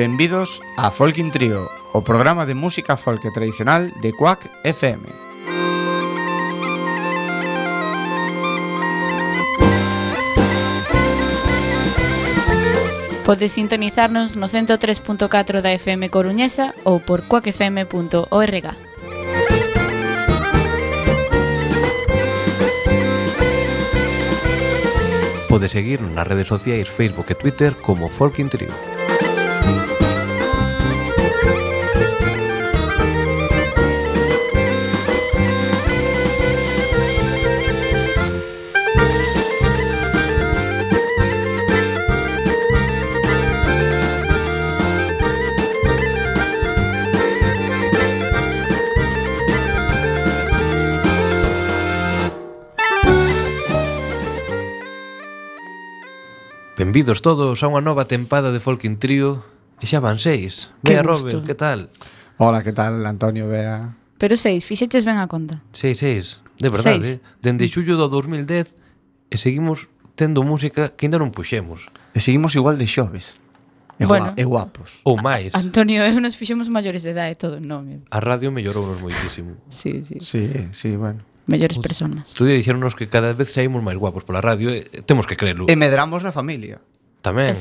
benvidos a Folkin Trío, o programa de música folk tradicional de Quack FM. Podes sintonizarnos no 103.4 da FM Coruñesa ou por quackfm.org. Podes seguirnos nas redes sociais Facebook e Twitter como Folkin Trío. Benvidos todos a unha nova tempada de Folkin Trío. E xa van 6. Bea, Robert, que tal? Hola, que tal, Antonio, Bea? Pero 6, fixeches ben a conta. 6, de verdade. Dende xullo do 2010 e seguimos tendo música que ainda non puxemos. E seguimos igual de xoves. E guapos. Ou máis. Antonio e eu nos fixemos maiores de edade todo, non? A radio mellorounos moitísimo. Sí. Sí, bueno. Mellores personas. Tú dixéronos que cada vez saímos máis guapos pola radio e temos que crelo. E medramos na familia. Tamén.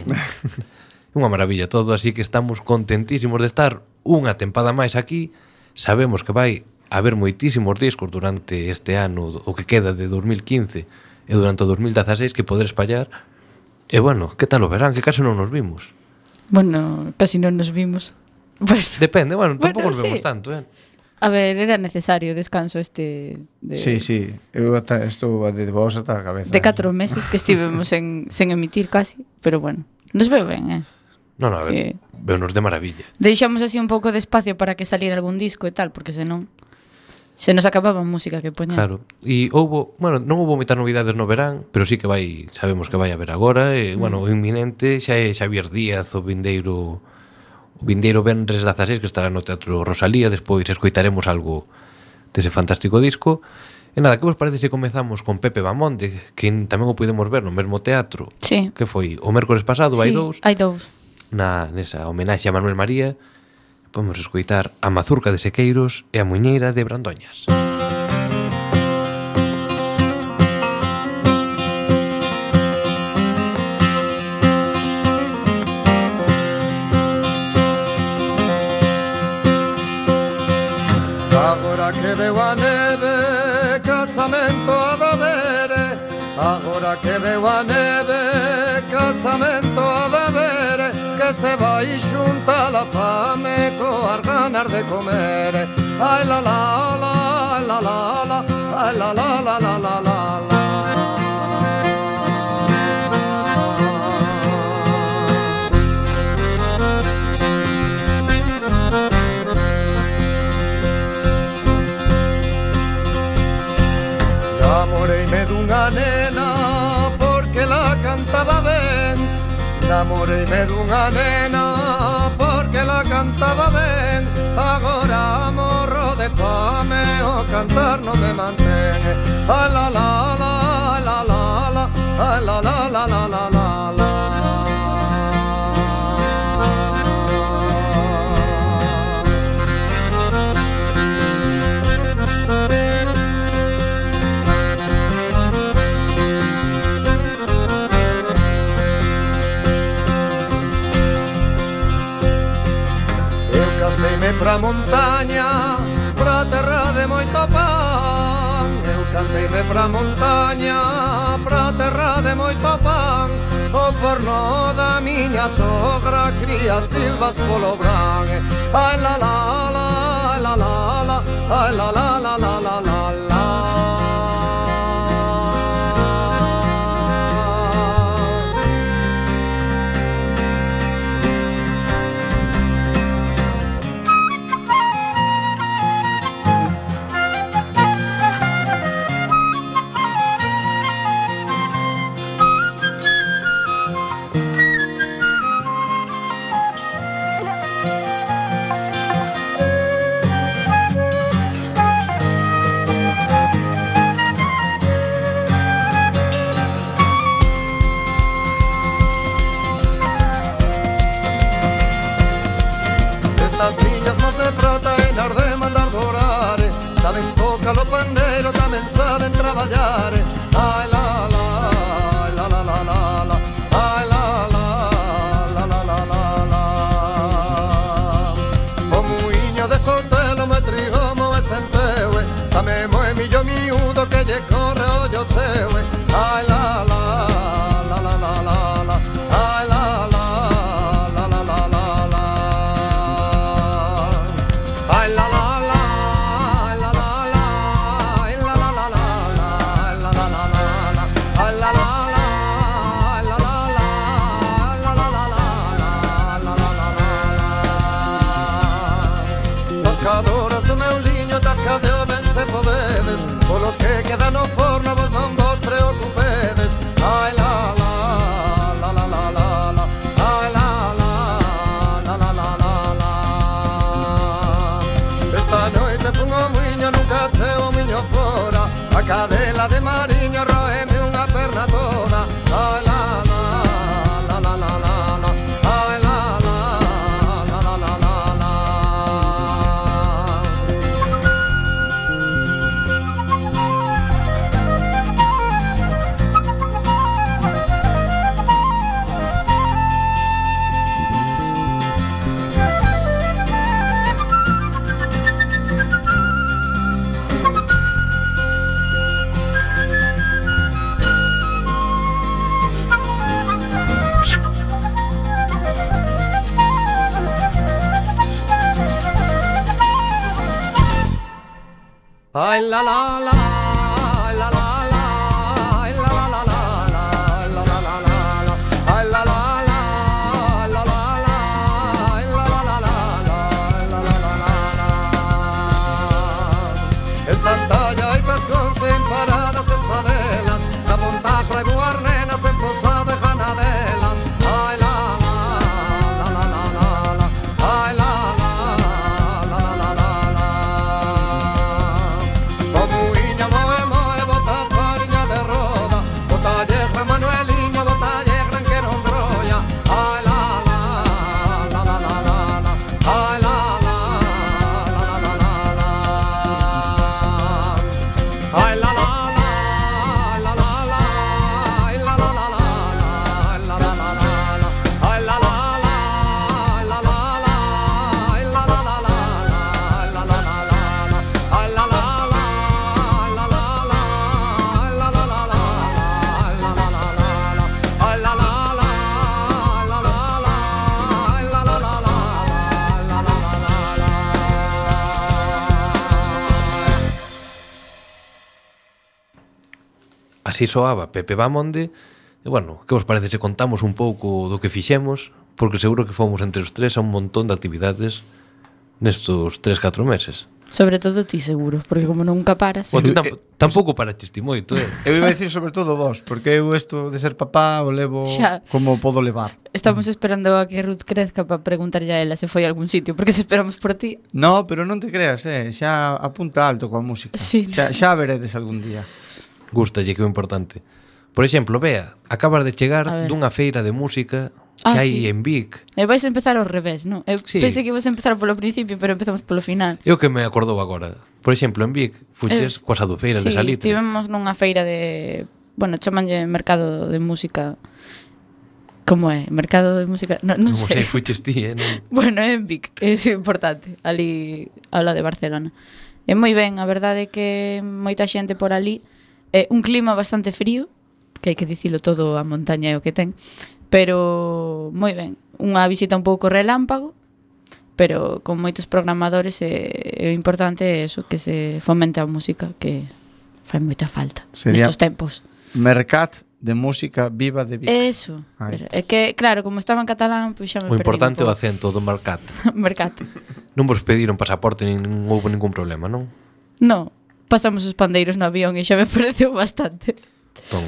Unha maravilla todo, así que estamos contentísimos de estar unha tempada máis aquí. Sabemos que vai haber moitísimos discos durante este ano, o que queda de 2015 e durante o 2016 que poder espallar. E bueno, que tal o verán? Que case non nos vimos. Bueno, casi non nos vimos. Bueno, depende, tampouco nos vemos tanto, A ver, era necesario descanso este de... Sí, eu estou de vos ata a cabeza. De 4 meses que estivemos sen emitir casi, pero bueno, nos veo ben, Non, a ver, veunos de maravilla. Deixamos así un pouco de espacio para que saliera algún disco e tal, porque senón se nos acababa a música que poña. Claro, e non houbo moitas novidades no verán, pero sí que sabemos que vai haber agora, e, o inminente xa é Xavier Díaz, o vindeiro venres 16 que estará no Teatro Rosalía. Despois escoitaremos algo dese fantástico disco. E nada, que vos parece se comezamos con Pepe Bamonde, que tamén o pudemos ver no mesmo teatro? Sí. Que foi o mércores pasado, hai dous. Hai dous. Nesa homenaxe a Manuel María, podemos escoitar a Mazurca de Sequeiros e a Muiñeira de Brandoñas. Que veo a neve, casamento a da vere. Agora que veo a neve, casamento a da vere. Que se vai xunta la fame coas ganas de comer. Ai la la la, ai la la la, ai la la la la la la la. Namoreime dunha nena porque la cantaba ben. Namoreime dunha nena porque la cantaba ben. Agora morro de fame, o cantar non me mantén. Ai la la la, ai la la la, ai la la la la la la la. Caseime pra montaña, pra terra de moito pan. Eu caseime pra montaña, pra terra de moito pan. O forno da miña sogra cría silvas polo bran. Ai la la la, ai la la la, ai la la la la la la la. andar dorare, saben tocar o pandeiro, tamén saben traballar. Ai la la, ai la la la la la, ai la la, la la la la la. O muiño de Sotelo me trigomo e senteue, tamén moe millo miúdo que lle corre o ollo cheue. Ai la la, la la la la la, ai la la, la la la la la. Ai la la la, ai la la la, ai la la la la la, ai la la la la la, ai la la la, ai la la la, ai la la la la, la la la la la. Tascadoras do meu liño, tascadeo ben se podedes, polo que queda no forno vos non vos preocupedes. Ai la la, la la la la la, ai la la, la la la la la. Esta noite fun ao muiño, nunca cheo o miño fora, a cadela de mariño roeme unha perna toda. Ai la la, la la la la la, ai la la, la la la la la. Ay la la la, ay la la la, ay la la la la, ay la la la la, ay la la la, ay la la la, ay la la la la, ay la la la la. En Santalla hai pescóns en paradas espadelas, na Montajo hai buarnenas en Posada e Janadelas. Ay la la, la la la la la, ay la la, la la la la la. O muiña moe moe, bota fariña de roda, bota yegra Manueliño, bota yegra que non brolla. Ay la la, la la la la la, ay la la, la la la la la. Ay la la la, la la la, ay la la la la, ay la la la la, ay la la la, la la la, ay la la la la, ay la la la la, ay la la la, la la la, ay la la la la, ay la la la la, ay la la la, la la la, ay la la la la, ay la la la la. Así soaba Pepe Bamonde. E bueno, que vos parece se contamos un pouco do que fixemos? Porque seguro que fomos entre os tres a un montón de actividades nestos 3-4 meses. Sobre todo ti seguro, porque como nunca paras. Bueno, ti tampouco paraste moito, Eu iba a decir sobre todo vos, porque eu isto de ser papá o levo Xa. como podo levar. Estamos esperando a que Ruth crezca para preguntarlle a ela se foi a algún sitio, porque se esperamos por ti. No, pero non te creas, xa apunta alto coa música. Sí. Xa veredes algún día. Gústalle, que é o importante. Por exemplo, Bea, acabas de A chegar ver. dunha feira de música que Ah, hai sí. en Vic. E vais a empezar ao revés, non? Eu Sí. pensei que ibas a empezar polo principio, pero empezamos polo final. É o que me acordou agora. Por exemplo, en Vic, fuches coas adufeiras de Sí, Salitre. estivemos nunha feira de... Bueno, chamanlle mercado de música... Como é? Mercado de música... Non Non sei. sei, fuches ti, non? Bueno, é en Vic, é importante. Ali, ao lado de Barcelona. É moi ben, a verdade é que moita xente por ali. Un clima bastante frío, que hai que dicilo todo, a montaña é o que ten. Pero moi ben. Unha visita un pouco relámpago, pero con moitos programadores o importante é eso, que se fomente a música, que fai moita falta Sería- nestos tempos. Mercat de música viva de Vic. Eso. Ahí está. É que, claro, como estaba en catalán, pois xa me O importante é o perdí acento do mercat. Mercat. Non vos pediron pasaporte nin houve ningún problema, non? No, pasamos os pandeiros no avión e xa me pareceu bastante. Entón,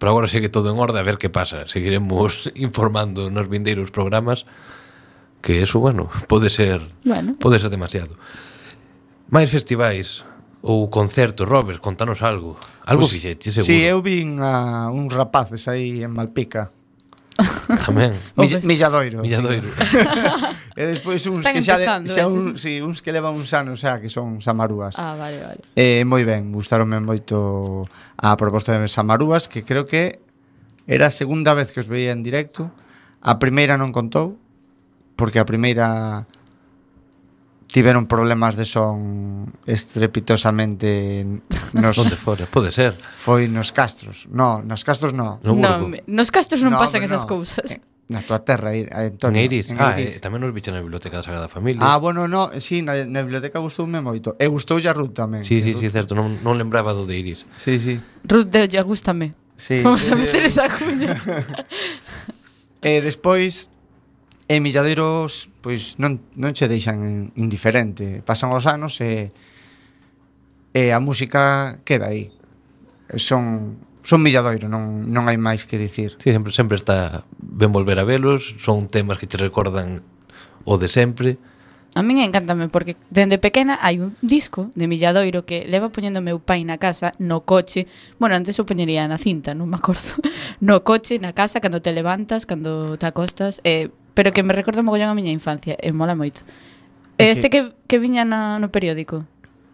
pero agora segue todo en orde, a ver que pasa. Seguiremos informando nos vindeiros programas, que eso, bueno, pode ser Bueno, demasiado. Máis festivais ou concertos, Robert, contanos algo. Algo Pois, fixeche, seguro. Si, eu vin a uns rapaces aí en Malpica. Tamén. Milladoiro. Milladoiro. E despois uns Están que xa, empezando, uns que levan uns anos xa que son samarúas. Vale. Moi ben, gustaronme moito a proposta de samarúas, que creo que era a segunda vez que os veía en directo. A primeira non contou, porque a primeira tiveron problemas de son estrepitosamente Onde fora? Pode ser. Foi nos Castros. No, nos Castros no. No Burgo. Nos Castros non No, pasan hombre, esas no. cousas. Na tua terra, En Antonio. Eiris. En Eiris. Tamén nos bicha na biblioteca da Sagrada Familia. Bueno, no, sí, na biblioteca gustoume moito. E gustoulle a Ruth tamén. Sí, que sí, Ruth- certo, non lembraba do de Iris. Sí, sí. Ruth de ya gústame. Sí. Vamos a meter esa cuña. E despois en Milladeiros pois non che deixan indiferente. Pasan os anos e a música queda aí. Son Milladoiro, non hai máis que dicir. Sí, sempre está ben volver a velos, son temas que te recordan o de sempre. A min encántame porque dende pequena hai un disco de Milladoiro que leva poñendo meu pai na casa, no coche. Bueno, antes o poñería na cinta, non me acordo. No coche, na casa, cando te levantas, cando te acostas, pero que me recorda mogollón a miña infancia, e mola moito. Este que viña no periódico,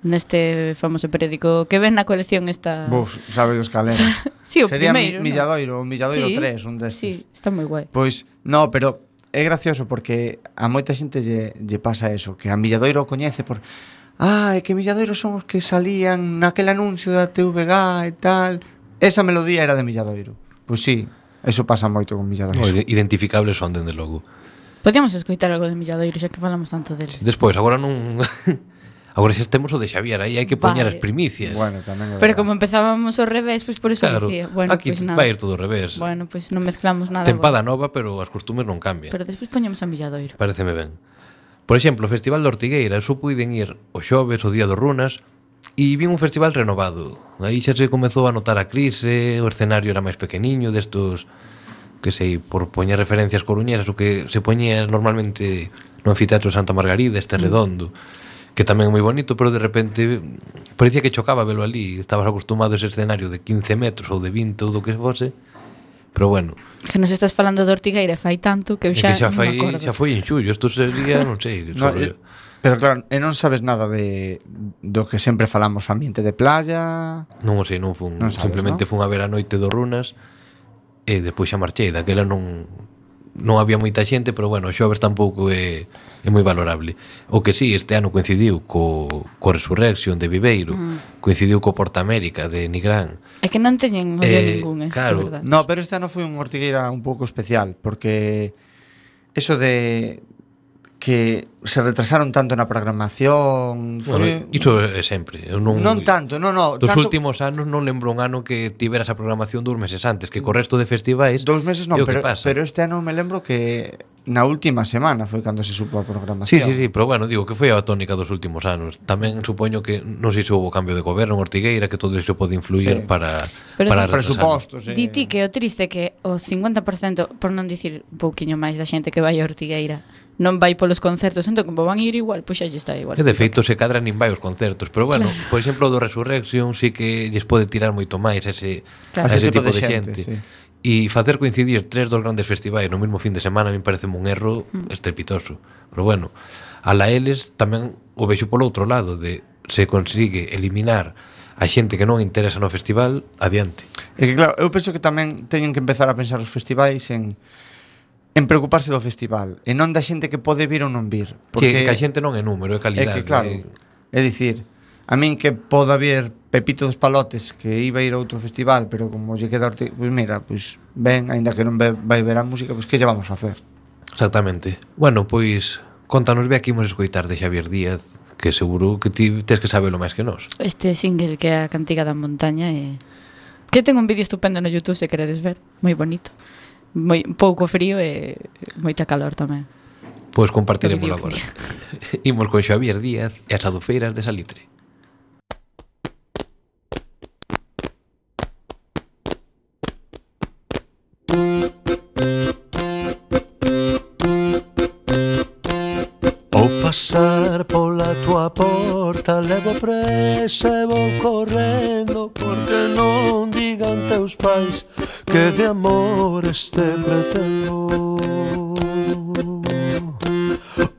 neste famoso periódico que ven na colección esta... Buf, sabe dos calenos. Sí, o Sería primeiro, Milladoiro, o Milladoiro Sí, 3, un destes. Sí, está moi guai. Pois, no, pero é gracioso porque a moita xente lle pasa eso, que a Milladoiro o coñece por é que Milladoiro son os que salían naquele anuncio da TVG e tal. Esa melodía era de Milladoiro. Pois sí, eso pasa moito con Milladoiro. Identificables son, dende logo. Podíamos escoitar algo de Milladoiro, xa que falamos tanto dele. Despois, agora non... Agora xa temos o de Xavier, aí hai que poñer Vale. as primicias. Bueno, tamén é Pero verdade. como empezábamos ao revés, pois por eso Claro, dicía. Bueno, aquí pois nada. vai ir todo ao revés. Bueno, pois non mezclamos nada. Tempada nova, pero as costumes non cambian. Pero despois poñemos a Milladoiro. Pareceme ben. Por exemplo, o Festival de Ortigueira, só puiden ir o xoves, o día dos Runas, e vin un festival renovado. Aí xa se comezou a notar a crise, o escenario era máis pequeniño, destos, que sei, por poñer referencias coruñeras, o que se poñía normalmente no anfiteatro de Santa Margarida, este redondo, que tamén é moi bonito, pero de repente parecía que chocaba velo ali. Estabas acostumado a ese escenario de 15 metros ou de 20 ou do que fose, pero bueno. Que nos estás falando de Ortigueira fai tanto que eu É que xa non me acordo. xa foi en xullo, isto sería, non sei, No, sobre... pero claro, e non sabes nada do que sempre falamos, ambiente de playa. Non o sei, non fun, Non sabes, simplemente ¿no? fun a ver a noite do Runas e despois xa marchei, daquela non había moita xente, pero bueno, o xoves tampouco é moi valorable. O que sí, este ano coincidiu co Resurrection de Viveiro, coincidiu co Porta América de Nigrán. É que non teñen olla ningún, claro. de verdade. No, pero este ano foi un Ortigueira un pouco especial, porque eso de que se retrasaron tanto na programación Bueno, iso é sempre. Eu non tanto, no, Dos tanto, últimos anos non lembro un ano que tivera esa programación 2 meses antes, que co resto de festivais 2 meses non, é o que pero pasa. este ano me lembro que na última semana foi cando se supo a programación. Sí, pero bueno, digo que foi a tónica dos últimos anos. Tamén supoño que non sei se houve cambio de goberno en Ortigueira, que todo iso pode influir Sí. para Pero retrasar. Presupostos, Di ti que o triste é que o 50%, por non dicir un pouquiño máis da xente que vai a Ortigueira, non vai polos concertos, entón como van a ir igual, pois xa lle está igual. E de feito se cadra nin vai os concertos, pero bueno, por exemplo, do Resurrection sí que lles pode tirar moito máis a ese tipo de xente. sí. E facer coincidir 3 dos grandes festivais no mesmo fin de semana a mí parece un erro estrepitoso. Pero bueno, a la eles tamén o vexo polo outro lado, de se consigue eliminar a xente que non interesa no festival, adiante. É que claro, eu penso que tamén teñen que empezar a pensar os festivais en preocuparse do festival e non da xente que pode vir ou non vir, Que a xente non é número, é é calidade. que claro, é dicir, a min que poda haber Pepito dos Palotes que iba a ir a outro festival, pero como lle queda pois mira, pois ben, aínda que non vai ver a música, pois que lle vamos a facer? Exactamente. Bueno, pois contanos ve aquí imos escoitar de Xavier Díaz, que seguro que ti tes que sabelo máis que nós. Este single que é a Cantiga da Montaña e que ten un vídeo estupendo no YouTube se queredes ver, moi bonito. Moi pouco frío e moita calor tamén. Pois compartiremoslo Do agora. videoclip. Imos con Xavier Díaz e as adufeiras de Salitre. Ao pasar pola tua porta porta, levo presa e vou correndo, porque non digan teus pais que de amores te pretendo.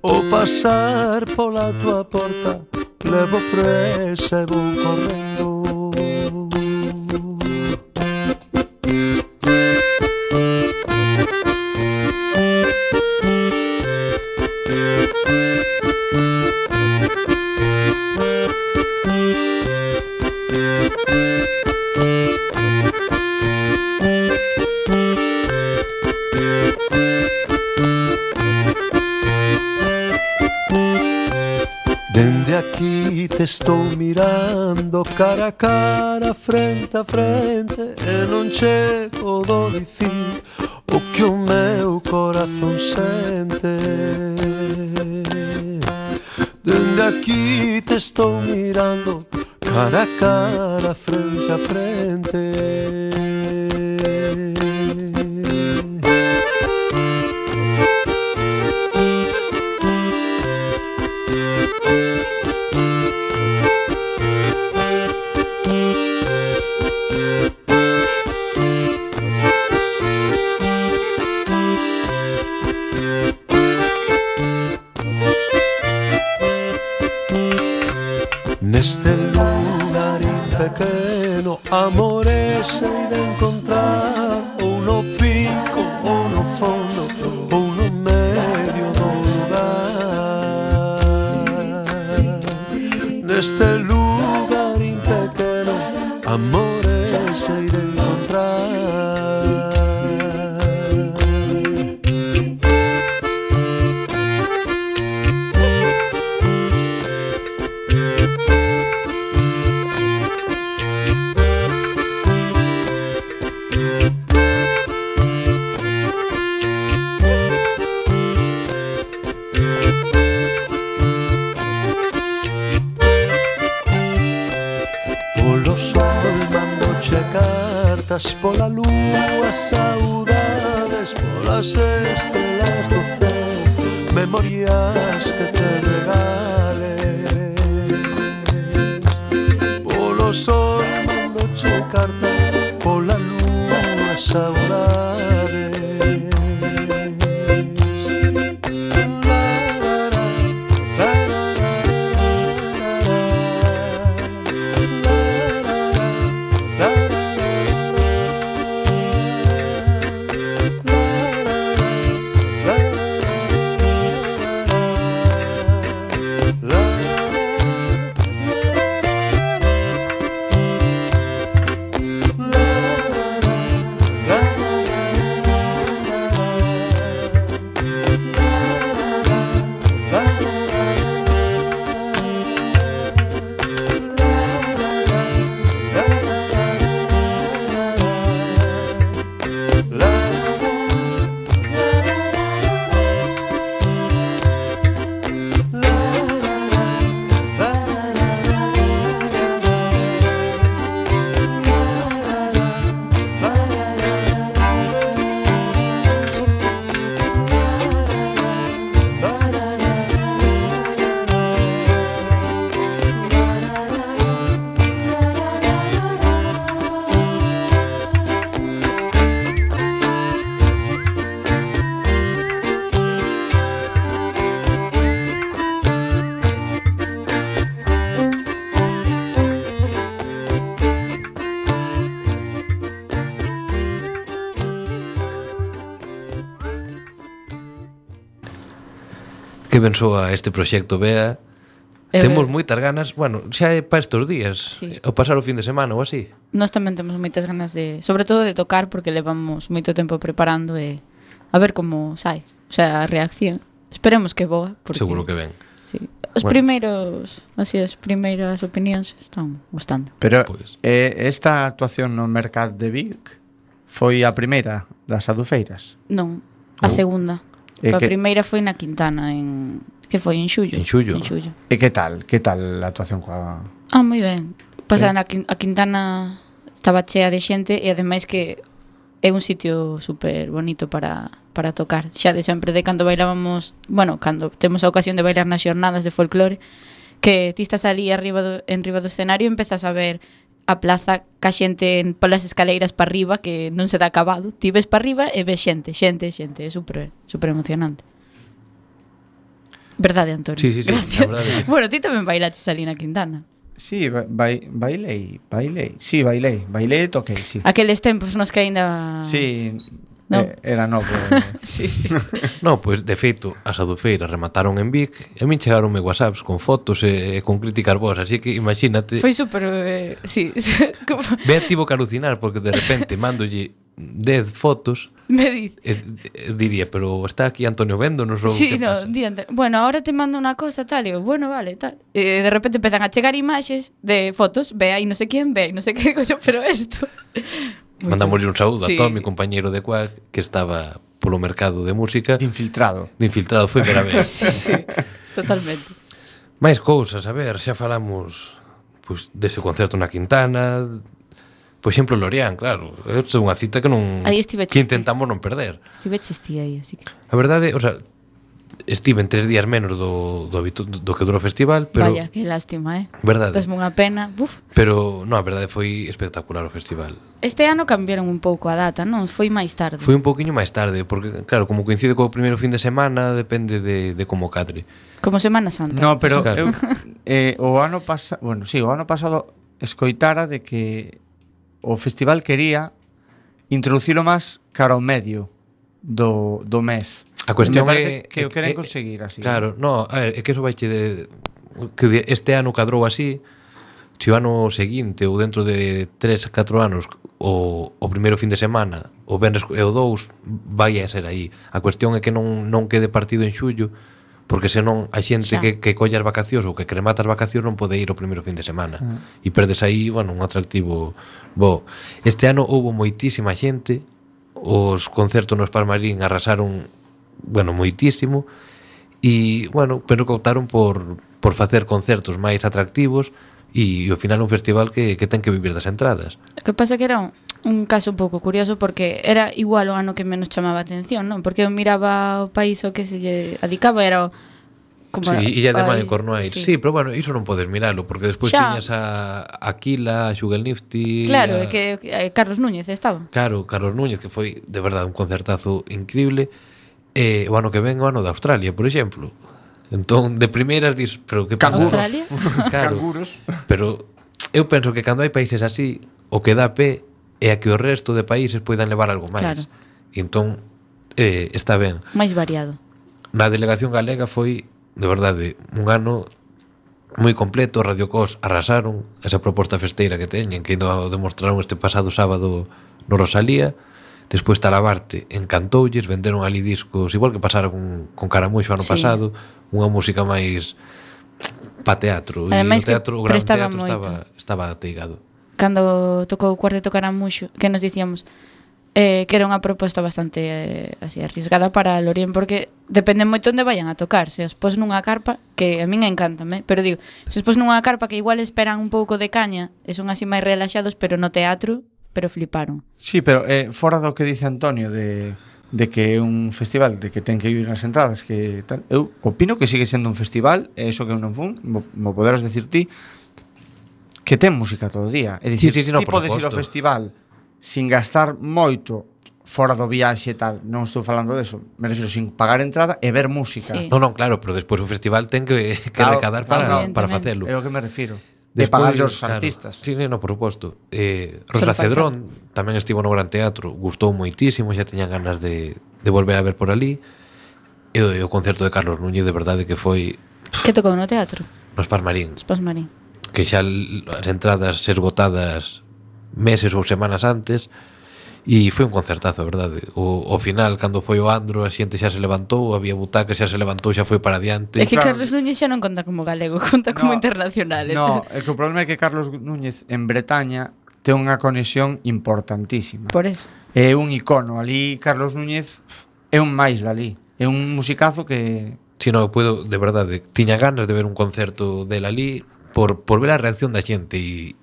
O pasar pola tua porta, levo presa e vou correndo. Dende aquí te estou mirando cara a cara, frente a frente, e non chego do dicir o que o meu corazón sente. Dende aquí te estou mirando cara a cara, frente a frente. Neste lugarín pequeno, amores hei de encontrar, ou no pico, ou no fondo, ou no medio do lugar. Neste lugarín pequeno, amores hei de encontrar. Pola lúa, saudades, polas estrelas do ceo, memorias que te regales. Polo sol mandoche cartas, pola lúa, saudades. Que ben soa este proxecto, Bea. Temos moitas ganas, bueno, xa é para estes días, Sí. ao pasar o fin de semana ou así. Nós tamén temos moitas ganas de, sobre todo de tocar, porque levamos moito tempo preparando e a ver como sai, o sea, a reacción. Esperemos que boa, porque Seguro que ben. sí. Os primeiros, así as primeiras opinións están gustando. Pero Pois. esta actuación no Mercat de Vic foi a primeira das adufeiras. Non, a segunda. E A que- primeira foi na Quintana en que foi en xullo. En xullo. En xullo. E que tal? Que tal a actuación coa... Ah, moi ben. Pasa Sí. a Quintana estaba chea de xente e ademais que é un sitio super bonito para tocar. Xa de sempre de cando bailábamos, bueno, cando temos a ocasión de bailar nas xornadas de folclore, que ti estás ali enriba do escenario e empezas a ver a plaza ca xente polas escaleiras para arriba que non se dá acabado. Ti ves para arriba e ves xente. É super emocionante. Verdade, Antonio? Sí, Gracias. a verdade. Bueno, ti tamén bailaches ali na Quintana. Sí, bailei. Sí, bailei e toquei, sí. Aqueles tempos nos que aínda... Sí, No. Era novo. Sí. No, pois, de feito, as adufeiras remataron en Vic e a min chegaronme whatsapps con fotos e con críticas vos, así que imagínate. Foi super... sí. Ve tivo que alucinar porque de repente mandolle 10 fotos Me dice... e diría, pero está aquí Antonio Véndonos ou Sí, que no, pasa? diante. Bueno, ahora te mando una cosa, tal. E eu, bueno, vale, tal. E de repente empezan a chegar imaxes de fotos. Ve aí no sé quién, ve aí no sé qué coño, pero esto... Mandamoslle un saúdo Sí. a Tommy, compañeiro de Quack, que estaba polo mercado de música. De infiltrado. De infiltrado, foi ver a ver. Sí, totalmente. Máis cousas, a ver, xa falamos pois, dese concerto na Quintana. Por exemplo, Lorian, claro. É unha cita que non Aí estive que chiste. intentamos non perder. Estive chistí aí, así que... A verdade, o sea, estive en 3 días menos do que durou o festival, pero Vaya, que lástima, verdade. Dasme unha pena. Buf. Pero non, a verdade foi espectacular o festival. Este ano cambiaron un pouco a data, non? Foi máis tarde. Foi un pouquiño máis tarde, porque claro, como coincide co primeiro fin de semana, depende de como cadre. Como Semana Santa. No, pero Claro. o ano pasado, bueno, sí, o ano pasado escoitara de que o festival quería introducilo máis cara ao medio do mes. A cuestión Me parece é que o queren é- conseguir así. Claro, no, a ver, é que eso vai que este ano cadrou así, se o ano seguinte ou dentro de 3-4 anos o primeiro fin de semana, o venres e o 2 vai a ser aí. A cuestión é que non quede partido en xullo, porque senón a xente Xa. que colle as vacacións ou que cremata as vacacións non pode ir o primeiro fin de semana. E perdes aí, bueno, un atractivo bo. Este ano houbo moitísima xente, os concertos no Spalmarín arrasaron, bueno, moitísimo, e, bueno, pero que optaron por facer concertos máis atractivos e ao final un festival que ten que vivir das entradas. O que pasa que era un caso un pouco curioso porque era igual o ano que menos chamaba a atención, non? Porque eu miraba o país o que se lle adicaba era o como Sí, Illa de Mai ai, en Cornualles. Sí, pero bueno, iso non podes miralo, porque despois Xa. tiñas a Aquila, a Xugel Nifty... Claro, é a, que Carlos Núñez estaba. Claro, Carlos Núñez, que foi de verdade un concertazo increíble. O ano que ven, o ano de Australia, por exemplo. Entón, de primeiras dis, pero que Canguros. Australia? Claro, Canguros. pero eu penso que cando hai países así, o que dá pé é a que o resto de países poidan levar algo máis. Claro. E entón, está ben. Máis variado. Na delegación galega foi, de verdade, un ano moi completo. Radio Cos arrasaron esa proposta festeira que teñen, que ainda demostraron este pasado sábado no Rosalía. Despois Talabarte encantoulles, venderon ali discos, igual que pasara con Caramuxo ano Sí. pasado, unha música máis pa teatro. Ademais E o que teatro, o gran prestaba teatro moito. estaba ateigado. Cando tocou o Cuarteto Caramuxo, que nos dicíamos que era unha proposta bastante así arrisgada para Lorien, porque depende moito onde vayan a tocar. Se os pos nunha carpa, que a min encántame, pero digo, se os pos nunha carpa que igual esperan un pouco de caña e son así máis relaxados, pero no teatro, pero fliparon. Sí, pero fora do que dice Antonio de que é un festival, de que ten que ir nas entradas, que tal, eu opino que sigue sendo un festival, e iso que eu non fun, mo poderás decir ti, que ten música todo o día. É dicir, Sí, no, ti por podes ir ao suposto. festival sin gastar moito fora do viaxe e tal, non estou falando deso, me refiro sin pagar entrada e ver música. Sí. Non, claro, pero despois o festival ten que Claro, recadar claro, para evidentemente. facelo. É o que me refiro. Despois, De pagar os claro, artistas. Sí, no, por suposto. Solo Rosa Cedrón tamén estivo no Gran Teatro, gustou moitísimo, xa teña ganas de volver a ver por ali. E o concerto de Carlos Núñez, de verdade que foi Que tocou no teatro? no Spasmarín, Spasmarín. que xa as entradas esgotadas meses ou semanas antes. E foi un concertazo, verdade. O final, cando foi o Andro, a xente xa se levantou, había butacas, xa se levantou, xa foi para diante. É que Claro. Carlos Núñez xa non conta como galego, conta como No, internacional. No, é que o problema é que Carlos Núñez en Bretaña ten unha conexión importantísima. Por eso. É un icono. Ali Carlos Núñez é un máis dali. É un musicazo que... Si no, puedo, de verdade, tiña ganas de ver un concerto del ali por ver a reacción da xente e,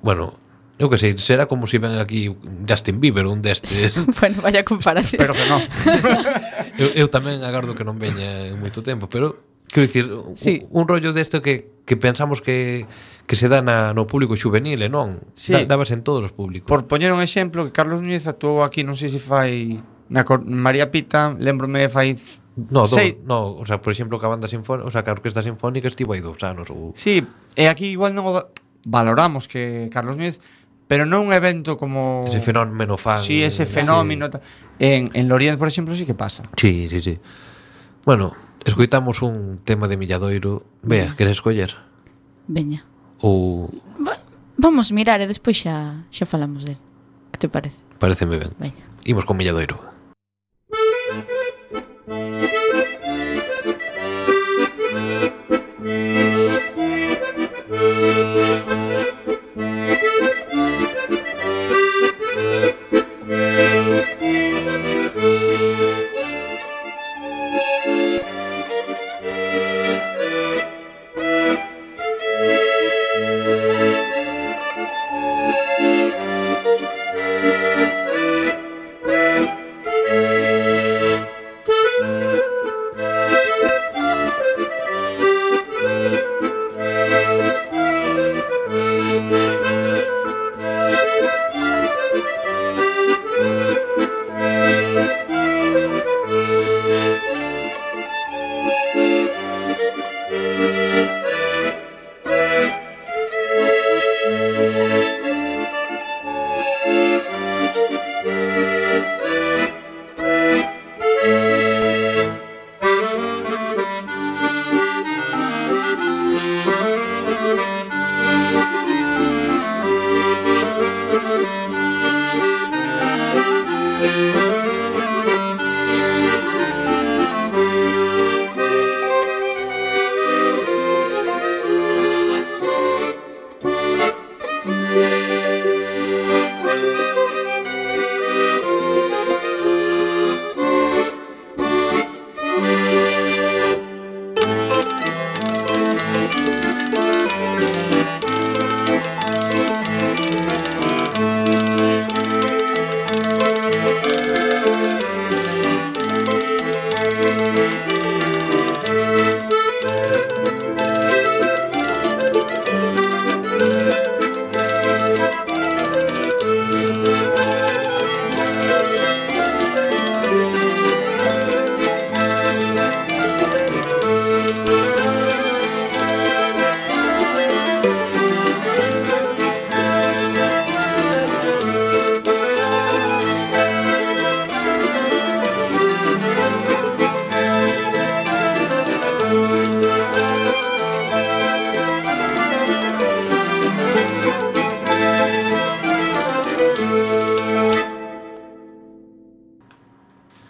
bueno, eu que sei, será como se ven aquí Justin Bieber, un destes. Bueno, vaya comparación. Pero que non. eu tamén agardo que non veña en moito tempo, pero quero dicir, Sí. un rollo desto que que pensamos que se dá no público juvenil, e non? Sí. Dabas en todos os públicos. Por poñer un exemplo, que Carlos Núñez actuou aquí, non sei se fai María Pita, lembrome fai No, sei. no, o sea, por exemplo, que a banda sinfónica, o sea, que a orquesta sinfónica estivo aí 2 anos ou... Sí, e aquí igual non valoramos que Carlos Núñez, pero non un evento como Ese fenómeno fan. Sí, ese fenómeno en Lorient, por exemplo, sí que pasa. Sí. Bueno, escoitamos un tema de Milladoiro. Vea, queres escoller? Veña. Ou Vamos mirar e despois xa falamos del. Que te parece? pareceme ben. Veña. Imos con Milladoiro.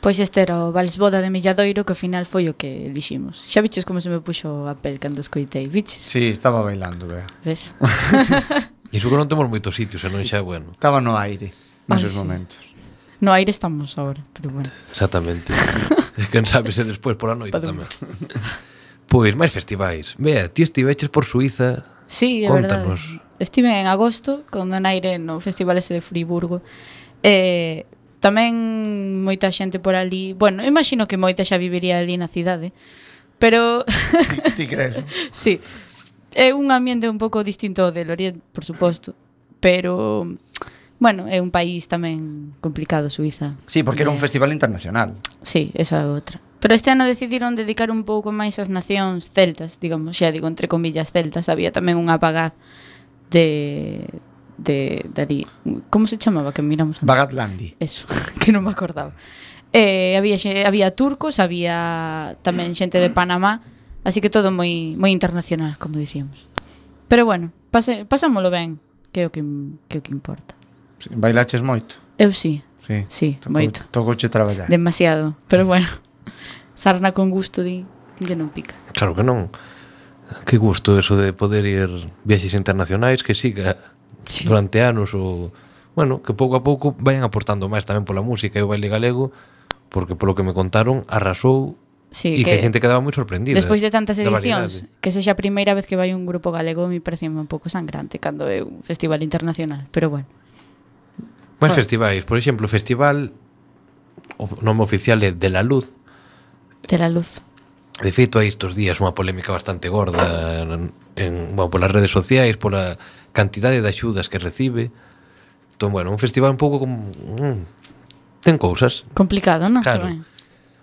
Pois este era o Vals Boda de Milladoiro, que ao final foi o que eliximos. Xa viches como se me puxo a pel cando escoitei, viches? Sí, estaba bailando, vea. Ves? Iso que non temos moitos sitios, e non xa, bueno. Estaba no aire nesos sí. momentos. No aire estamos agora, pero bueno. Exactamente. Quen sabe se despois pola noite tamén. Pois, máis festivais. Vea, ti estiveches por Suiza. Sí, é Contanos. verdade. Estive en agosto con Donaire no festival ese de Friburgo. Tamén moita xente por ali. Bueno, imagino que moita xa viviría ali na cidade. Pero Ti crees? sí. É un ambiente un pouco distinto ao de Lorient, por suposto. Pero bueno, é un país tamén complicado, Suiza. Sí, porque era un festival internacional. Sí, esa é outra. Pero este ano decidiron dedicar un pouco máis ás nacións celtas, digamos, xa digo, entre comillas celtas. Había tamén un apagaz de ali. Como se chamaba que miramos antes? Bagatlandi. Eso, que non me acordaba. Había turcos, había tamén xente de Panamá, así que todo moi internacional, como dicíamos. Pero bueno, pasámolo ben, que é o que importa. Sí, bailaches moito? Eu sí, Sí, moito. Tocouche traballar. Demasiado, pero bueno. Sarna con gusto que non pica. Claro que non. Que gusto eso de poder ir viaxes internacionais, que siga durante anos ou... Bueno, que pouco a pouco vayan aportando máis tamén pola música e o baile galego, porque polo que me contaron arrasou e que a xente quedaba moi sorprendida. Despois de tantas edicións, que sexa a primeira vez que vai un grupo galego, me parece un pouco sangrante cando é un festival internacional, pero bueno. Máis festivais, por exemplo, o festival, o nome oficial é De la Luz. De la Luz. De feito, hai estes días unha polémica bastante gorda polas redes sociais, pola cantidade de axudas que recibe. Entón, bueno, un festival un pouco como... ten cousas. Complicado, non? Claro.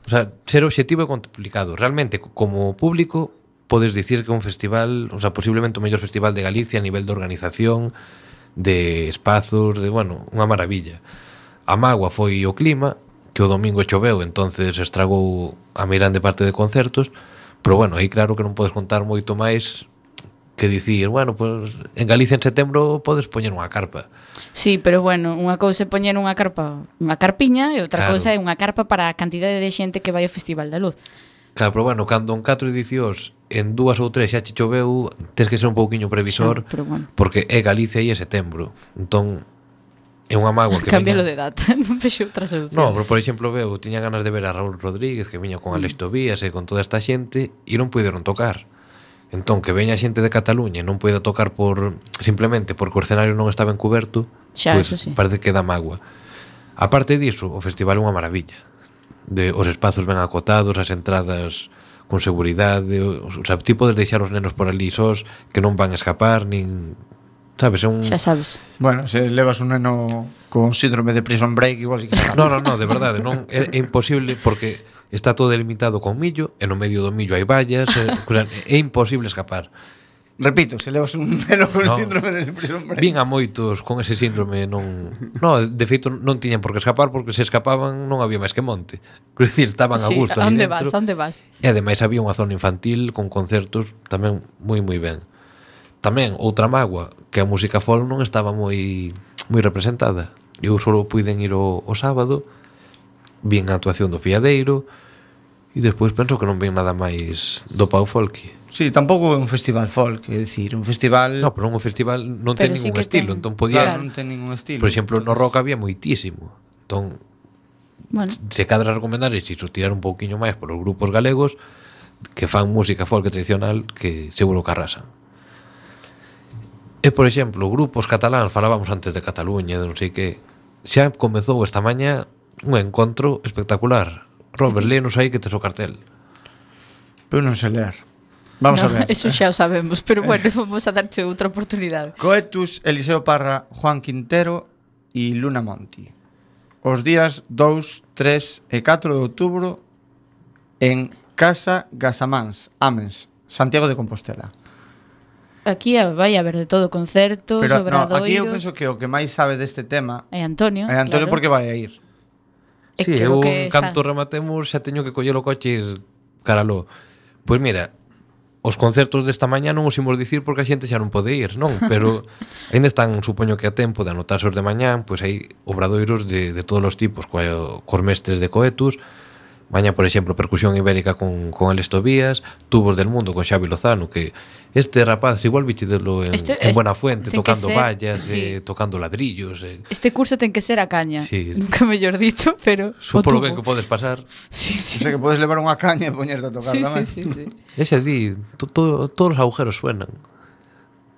O sea, ser objetivo é complicado. Realmente, como público, podes dicir que é un festival, o sea, posiblemente o mellor festival de Galicia a nivel de organización, de espazos, de, bueno, unha maravilla. A mágoa foi o clima, que o domingo choveu, entonces estragou a meirande parte de concertos, pero bueno, aí claro que non podes contar moito máis que dicir, bueno, pues en Galicia en setembro podes poñer unha carpa. Sí, pero bueno, unha cousa é poñer unha carpa, unha carpiña, e outra Claro. cousa é unha carpa para a cantidade de xente que vai ao Festival da Luz. Claro, pero bueno, cando en 4 edicións en 2 ou 3 xa che choveu, tens que ser un pouquiño previsor, Xa, pero bueno. porque é Galicia e é setembro. Entón, é unha mágoa que Cámbialo veña... de data, non vexo outra solución. No, pero por exemplo, veo, tiña ganas de ver a Raúl Rodríguez, que viña con Alex Tobías e con toda esta xente, e non puideron tocar. Entón, que veña xente de Cataluña e non poida tocar simplemente porque o escenario non estaba encuberto, Xa, pois eso sí. parece que dá mágoa. A parte diso, o festival é unha maravilla. Os espazos ben acotados, as entradas con seguridade, o sea, ti podes deixar os nenos por ali sós, que non van a escapar, nin... Sabes, é un... Xa sabes. Bueno, se levas un neno con síndrome de prison break, igual sí que está. No, de verdade, non é imposible porque está todo delimitado con millo e no medio do millo hai vallas, é imposible escapar. Repito, se levas un neno con No. síndrome de prison break. Vin a moitos con ese síndrome de feito non tiñan por que escapar porque se escapaban non había máis que monte. Quer dicir, estaban a Sí, gusto ali onde dentro. vas, onde vas? E ademais había unha zona infantil con concertos tamén moi ben. Tamén outra mágoa, que a música folk non estaba moi representada. Eu só puiden ir o sábado, vin a actuación do Fiadeiro e despois penso que non vin nada máis do Pau Folky. Sí, tampouco é un festival folk, é dicir, un festival... No, pero un festival non Pero ten sí ningún que estilo, ten. entón podía... Claro, non ten ningún estilo. Por exemplo, no rock había moitísimo. Entón, Bueno, se cadra recomendar é iso, tirar un pouquiño máis polos grupos galegos que fan música folk tradicional que seguro que arrasan. E, por exemplo, grupos cataláns, falábamos antes de Cataluña, de non sei que, xa comezou esta mañá un encontro espectacular. Robert, léenos aí que tes o cartel. Pero non sei ler. Vamos no, a ver. eso xa o sabemos, pero bueno, vamos a darche outra oportunidade. Coetus, Eliseo Parra, Juan Quintero e Luna Monti. Os días 2, 3 e 4 de outubro en Casa Gasamáns, Amens, Santiago de Compostela. Aquí vai haber de todo, concertos, Pero no, obradoiros. aquí eu penso que o que máis sabe deste tema É Antonio, é Antonio, claro. porque vai a ir. É Sí, que eu o que está- canto rematemos xa teño que coller o coche e ir caraló. Pois mira, os concertos desta mañá non os imos dicir porque a xente xa non pode ir, non? Pero ainda están, supoño que a tempo de anotarse os de mañá, pois hai obradoiros de todos os tipos, cos mestres de Coetus. Mañá, por exemplo, percusión ibérica con Alex Tobías, Tubos del Mundo con Xavi Lozano, que este rapaz igual bichidelo en Buenafuente, ten que tocando ser, vallas, sí. tocando ladrillos. Este curso ten que ser a caña. Sí. Nunca mellor dito, pero Supo lo o tubo. ben que podes pasar. Sí, O sí. sea que podes levar unha caña e poñerte a tocar Sí, tamén. sí, sí, sí. Ese di, todos os agujeros suenan.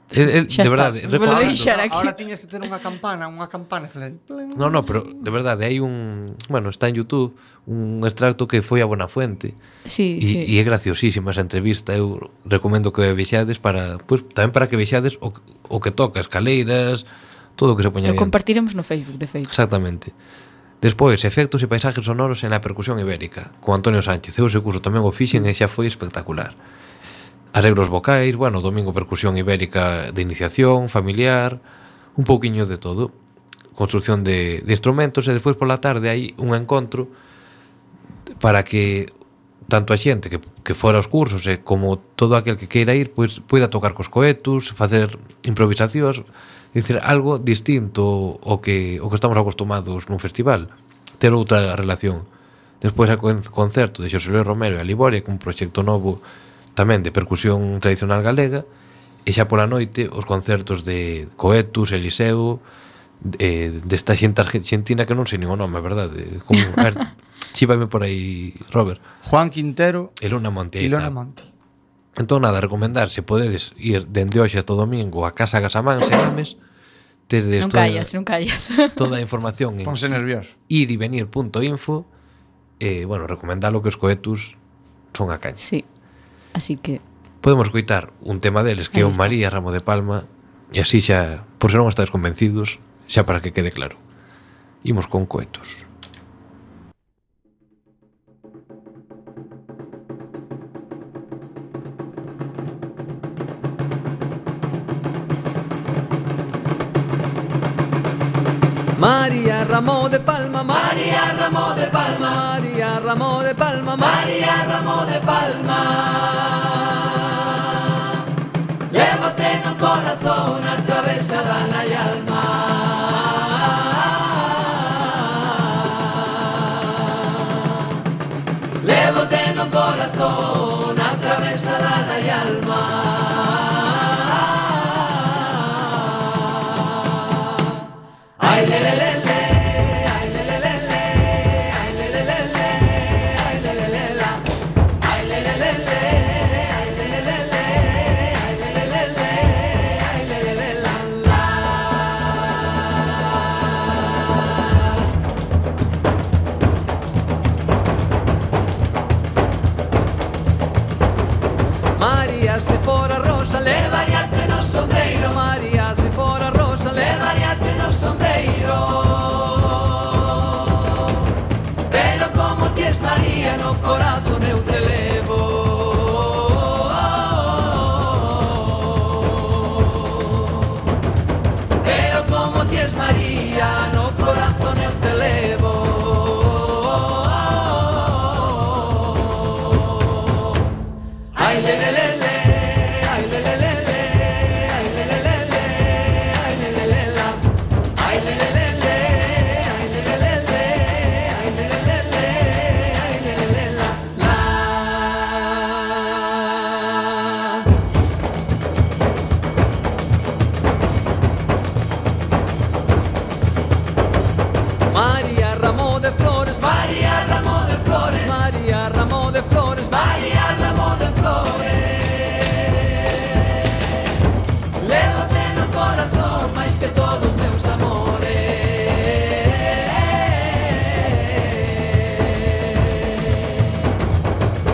De Xa está. verdade, Vou recordando. deixar aquí. Ahora tiñas que ter unha campana e falar... No, pero de verdade hai bueno, está en YouTube un extracto que foi a Buenafuente. Sí, E sí. é graciosísima esa entrevista. Eu recomendo que vexades para, pues, tamén para que vexades o que toca, escaleiras, todo o que se poña Lo dentro. compartiremos no Facebook, de feito. Exactamente. Despois, efectos e paisajes sonoros en la percusión ibérica, con Antonio Sánchez. Eu ese curso tamén o fixen e xa foi espectacular. Arreglos vocais, bueno, domingo percusión ibérica de iniciación, familiar, un pouquiño de todo. Construcción de instrumentos e despois pola tarde hai un encontro para que tanto a xente que fora aos cursos e como todo aquel que queira ir, pois poida tocar cos Coetus, facer improvisacións, dicir, algo distinto ao que estamos acostumados nun festival, ter outra relación. Despois hai concerto de Xosé Luis Romero e a Liboria, con un proxecto novo tamén de percusión tradicional galega, e xa pola noite os concertos de Coetus, Eliseo, desta xente argentina que non sei nin o nome, a verdade. Como, a ver, chívame por aí, Robert. Juan Quintero E Luna Monte, e aí Luna está. Monti. Entón, nada, recomendar, se podedes ir dende hoxe a todo domingo a Casa Gasamáns en Ames, desde Non callas, non callas. toda a información en Ponse nervioso. irivenir.info e, bueno, recomendalo que os Coetus son a caña. Sí. Así que Podemos coitar un tema deles que é Aí o está. María Ramo de Palma, e así xa, por se non estades convencidos, xa para que quede claro. Imos con Coetos. María Ramo de Palma, María Ramo de Palma, María Ramo de Palma, María Ramo de Palma. Lévate no corazón, atravesada na alma. Lévate no corazón, atravesada na alma. Ay, le, le, le, le, ay, le, le, le, le, ay, le, le, le, le, ay, le, le, le, la. Ay, le, le, le, le, ay, le, le, le, le, ay, le, le, le, le, ay, le, le, le, la, la. María, se fora rosa, levaríate no sombreiro. María, se fora rosa, levaríate no sombreiro. Pero como ti es María, no corazón eu te levo. Pero como ti es María, no corazón eu te levo. Ay, le, le, le, le, ay, le, le, le, le, ay, le, le, le, le, ay, le, le, le, la. Ay, le, le, le, le, ay, le, le, le, le, ay, le, le, le, le, ay, le, le, le, la, la. María Ramo de Flores, María Ramo de Flores, María Ramo de Flores, María Ramo de Flores. Lévate no corazón máis que todos meus amores.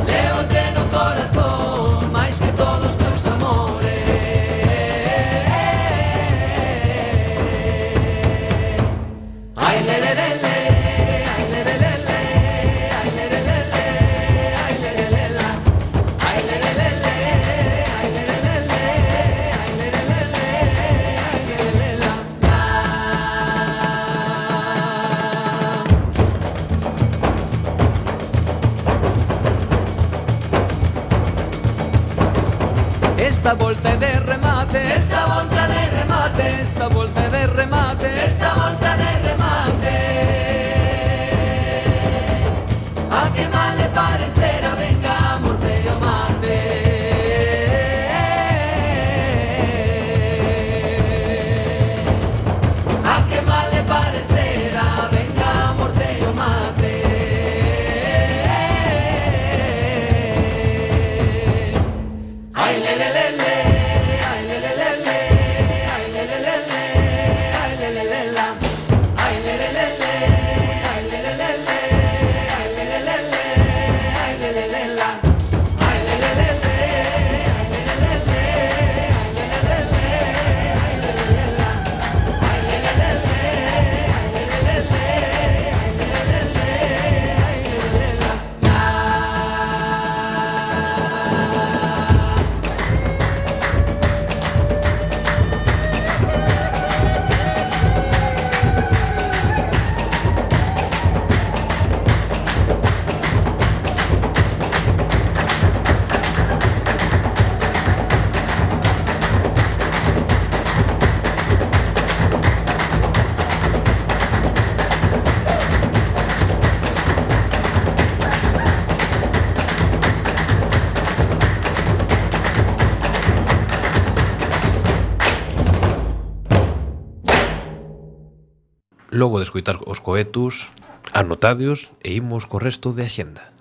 Lévate no corazón máis que todos meus amores. Ay, le, le, le, le, ay, le, le, le, le, ay, le, le, le, le, ay, le, le, le, la. Ay, le, le, le, le, ay, le, le, le, le, ay, le, le, le, le, ay, le, le, le, la, la. Esta volta é de remate, esta volta de remate, esta volta é de remate, esta volta de remate. A que mal le parecera, venga, morte o mate. A que mal le parecera, venga, morte o mate. Ay, le, le, le, le, ay, le, le, le, le, ay, le, le, le, le, ay, le, le, le, la. Ay, le, le, le, le, ay, le, le, le, le, ay, le, le, le, le, ay, le, le, le, la. Ay, le, le, le, le, ay, le, le, le, le, ay, le, le, le, le, ay, le, le, le, la. Ay, le, le, le, le, ay, le, le, le, le, ay, le, le, le, le, ay, le, le, le, la. Logo de escoitar os Coetos, anotadios e imos co resto de axenda.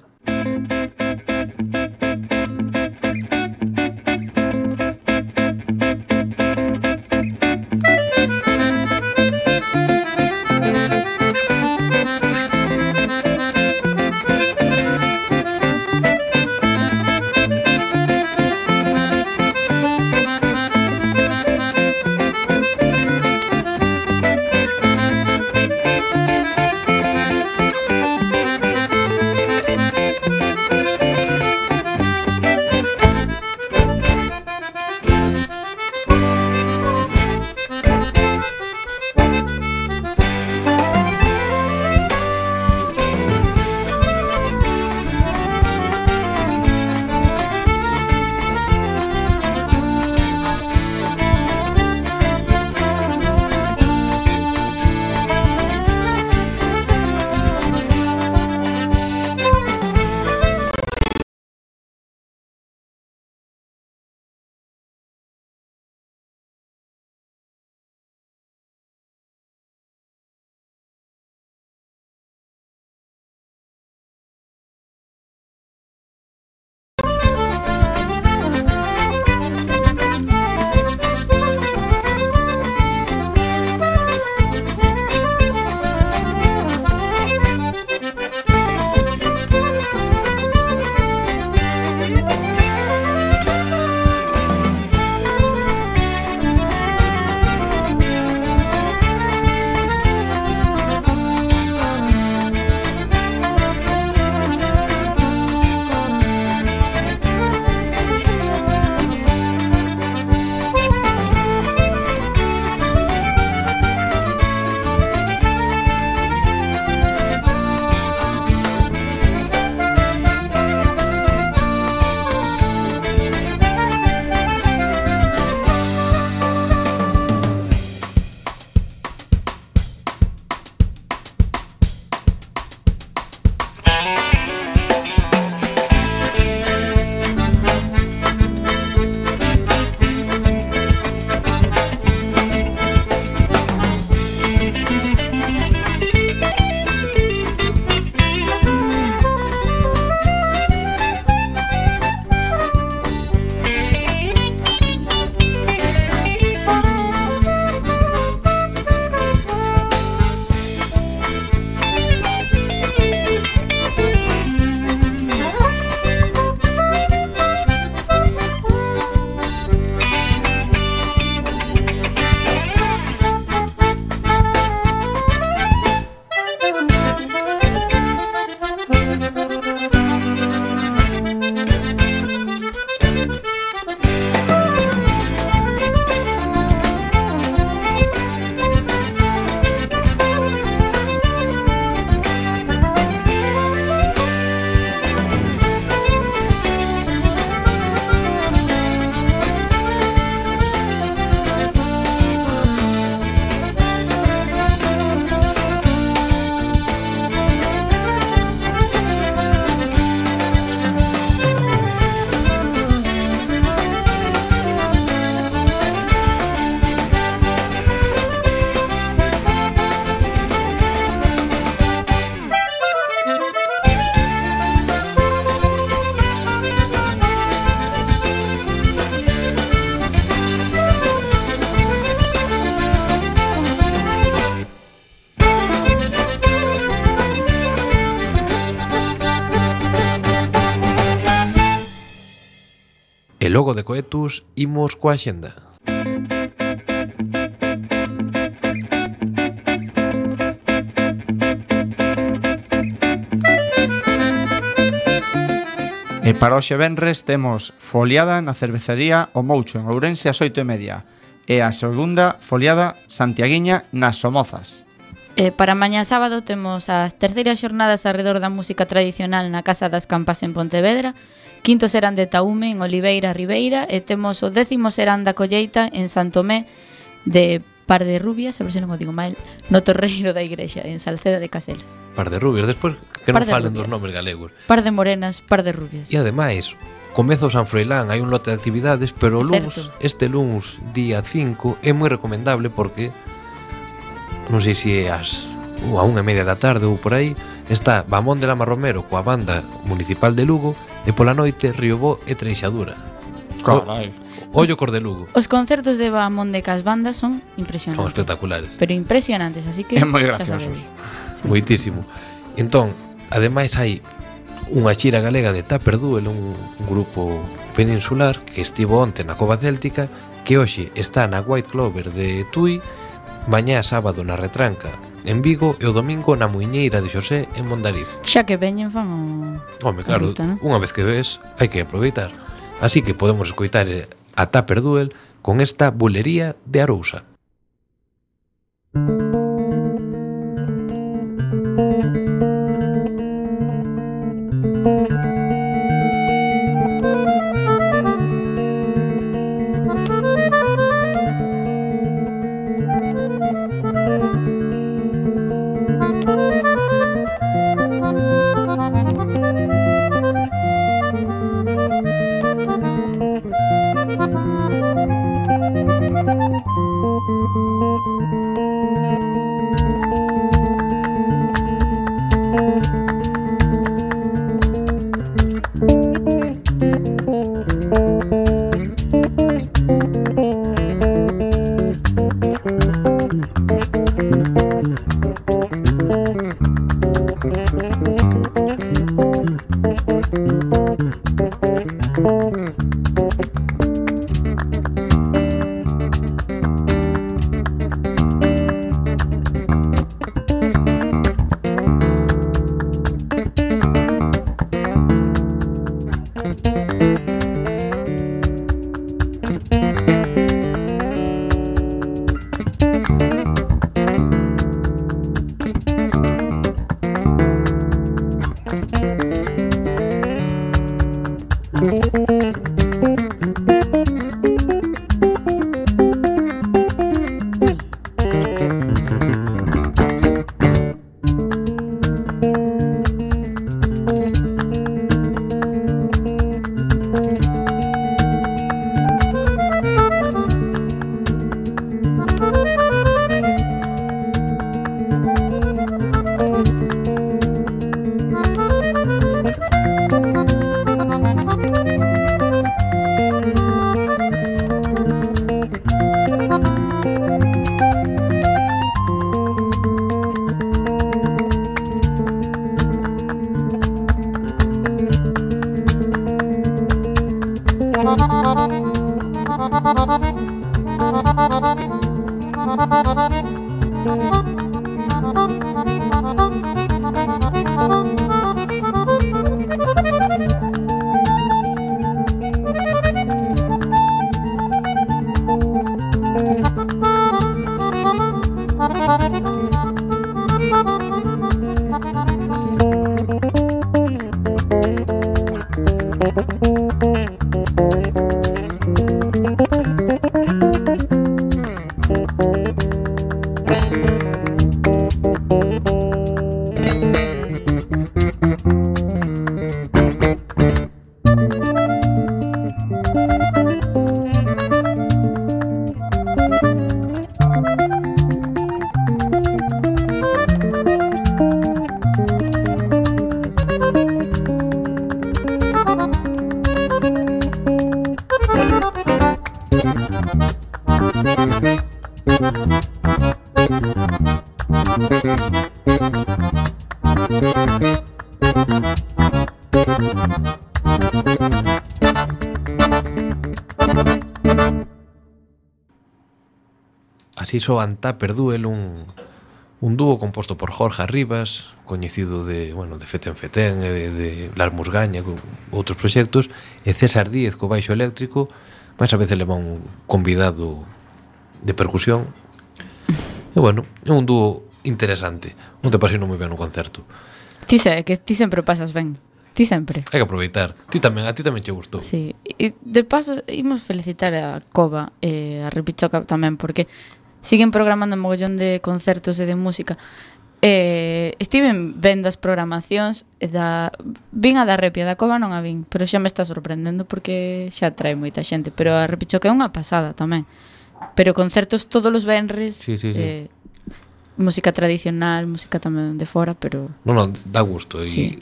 logo de Coetus imos coa xenda. E para hoxe venres temos foliada na cervecería O Moucho en Ourense ás 8:30 e a segunda foliada santiaguiña nas Somozas. Para mañá sábado temos as terceiras xornadas arredor da música tradicional na Casa das Campas en Pontevedra, quinto serán de Taume en Oliveira Ribeira e temos o 10º serán da Colleita en Santomé de Par de Rubias, a ver se non o digo mal, no Torreiro da Igrexa en Salceda de Caselas. Par de rubias, despois que non Par de falen rubias. dos nomes galegos. Par de morenas, par de rubias. E ademais, comezo San Froilán, hai un lote de actividades, pero o luns, Certo. este luns, día 5, é moi recomendable porque non sei se é a 1:30 da tarde ou por aí, está Bamón de Lama Romero coa banda municipal de Lugo e pola noite Riobó e Treixadura. Carai. Ollo cor de Lugo. Os concertos de Bamón de Cas Bandas son Son impresionantes. espectaculares. Pero impresionantes, así que É moi xa graciosos. sabedes. Sí. Moitísimo. Entón, ademais hai unha xira galega de Tupper Duel, un grupo peninsular que estivo onte na Cova Céltica, que hoxe está na White Clover de Tui, mañá sábado na Retranca en Vigo e o domingo na Muiñeira de Xosé en Mondariz. Xa que veñen fan o... Home, claro, ruta, non? unha vez que ves, hai que aproveitar. Así que podemos escoitar a Tupper Duel con esta bulería de Arousa. así soan Tupper Duel, un dúo composto por Jorge Arribas, coñecido de Feten Feten e de Las Musgaña, con outros proxectos, e César Díez co baixo eléctrico, máis a veces leva un convidado de percusión. E é un dúo interesante. Non te pasei moi ben no concerto. Ti sempre pasas ben. Ti sempre. Hai que aproveitar. A ti tamén che gustou. Sí. E de paso, imos felicitar a Cova e a Repichoca tamén, porque siguen programando un mogollón de concertos e de música. Estiven vendo as programacións vin a da Repia, da Cova non a vin, pero xa me está sorprendendo porque xa trae moita xente, pero a Repichoca é unha pasada tamén. Pero concertos todos os venres, sí. música tradicional, música tamén de fora, pero Non, dá gusto. Sí. E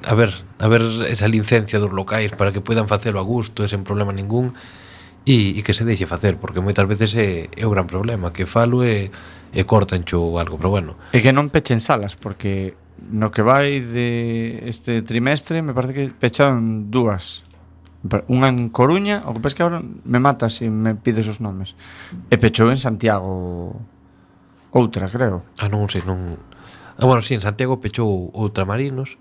a ver esa licencia dos locais para que poidan facelo a gusto e sen problema ningún, e que se deixe facer, porque moitas veces é o gran problema, que falo e cortancho ou algo, pero bueno. E que non pechen salas, porque no que vai de este trimestre me parece que pecharon dúas. Unha en Coruña, o que pasa que agora me matas se me pides os nomes. E pechou en Santiago outra, creo. Non sei, non... sí, en Santiago pechou Ultramarinos.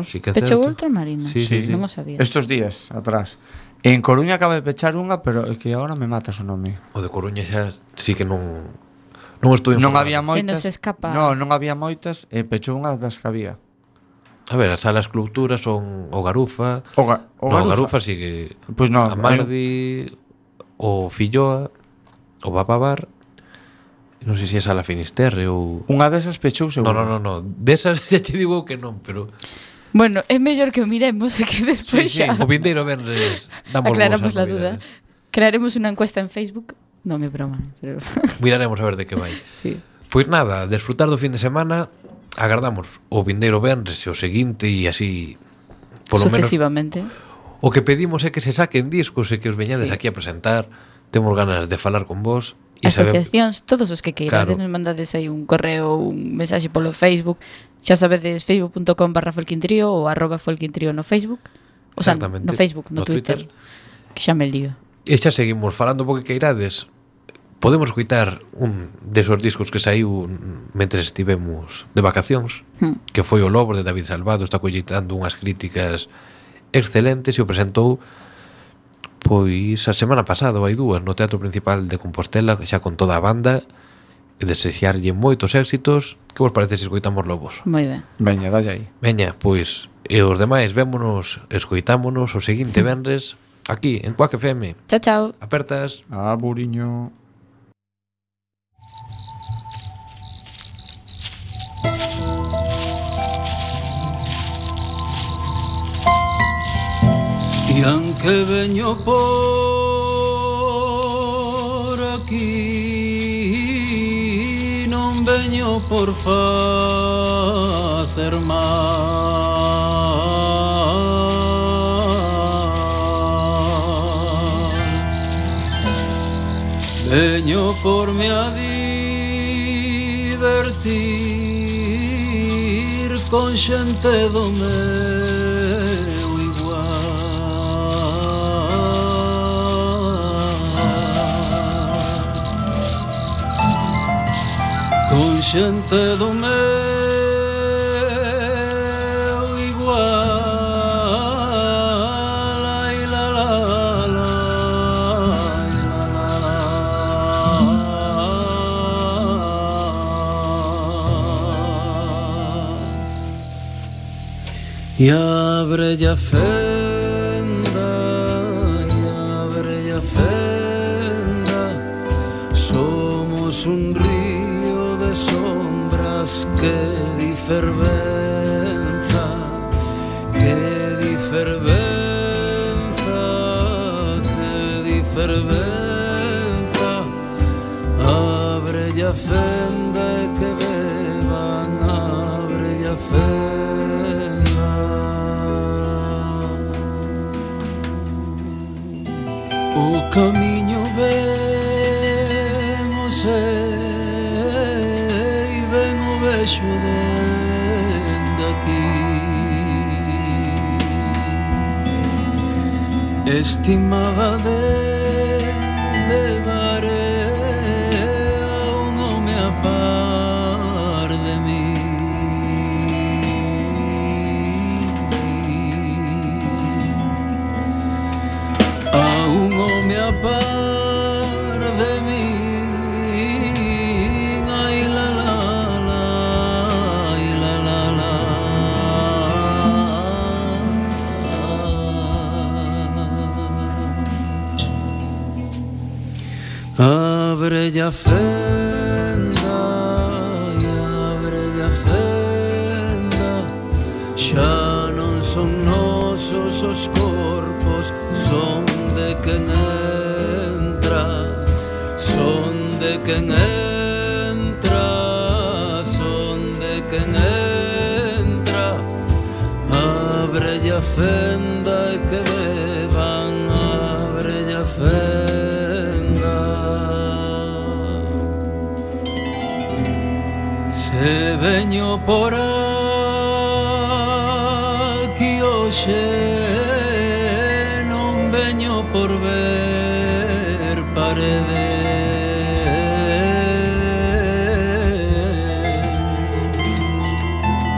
Sí, que é pechou certo. Ultramarinos. Sí. Non o sabía. Estos días atrás. En Coruña acaba de pechar unha, pero é que agora me matas o nome. O de Coruña xa sí que non estou informado. Non había moitas. Se nos escapa. Non había moitas e pechou unha das que había. A ver, as salas Cultura son o Garufa. O Garufa sí que... Pois non. A Mardi, o Filloa, o Bababar. Non sei se é Sala Finisterre ou... Unha desas pechou seguro. Non. Desas xa te digo que non, pero... Bueno, é mellor que o miremos e que despois Sí, xa o vindeiro venres damos aclaramos vos as la duda. novidades. Crearemos unha encuesta en Facebook. Non é broma, pero Miraremos a ver de que vai. sí. Pois nada, desfrutar do fin de semana. Agardamos o vindeiro venres e o seguinte e así polo menos sucesivamente. o que pedimos é que se saquen discos e que os veñades Sí. aquí a presentar. Temos ganas de falar con vos e Asociacións, todos os que queirades, Claro. nos mandades aí un correo, un mensaxe polo Facebook. Xa sabedes, facebook.com/folkintrio ou @folkintrio no Facebook. O sea, Exactamente. no Facebook, no No Twitter, Twitter. que xa me lío. E xa seguimos falando porque queirades. Podemos escoitar un desos discos que saiu mentres estivemos de vacacións, que foi O Lobo de David Salvado. Está colleitando unhas críticas excelentes e o presentou pois a semana pasada, hai dúas, no Teatro Principal de Compostela, xa con toda a banda, e desexarlle moitos éxitos. Que vos parece se escoitamos Lobos? Moi ben. Veña, dalle aí. Veña, pois, e os demais vémonos, escoitámonos o seguinte venres aquí en Quack FM. Chao, chao. Apertas. Buriño. E anche veño por aquí, non veño por facer mal. Veño por me a divertir con xente do meu con xente do meu igual. Ai, la, la, la, e abre a fenda, somos un río de sombras que di fervenza, que di fervenza, que di fervenza. Abre a fenda e que beban, abre a fenda. O camiño ben o sei, ben o vexo dende aquí. Estimaba de levar fenda e ábrelle a fenda. Xa non son nosos os corpos, son de quen entra, son de quen entra, son de quen entra. Ábrelle a fenda e que beban, ábrelle a fenda. Se veño por aquí hoxe, non veño por ver paredes,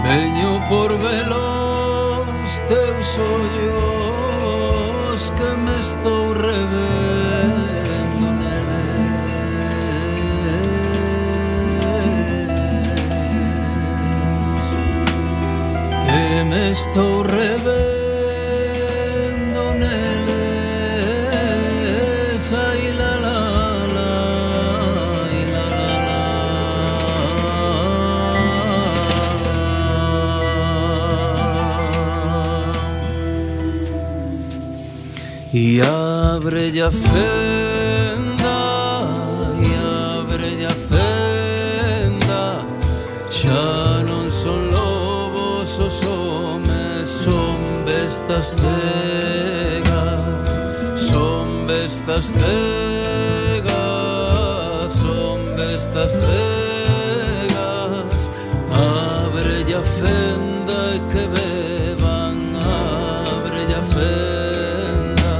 veño por velos teus ollos que me estou revendo neles, que me estou revendo neles. Ai la la la, ai la la la. E ábrelle a fenda, e ábrelle a fenda. Xa non son lobos os homes, son bestas cegas, son bestas cegas, son bestas cegas. Ábrelle a fenda e que beban, ábrelle a fenda,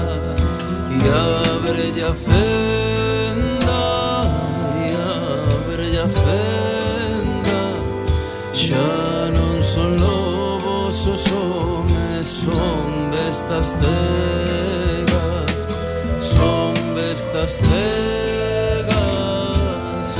e ábrelle a fenda, e ábrelle a fenda. Xa non son lobos os homes, son bestas cegas.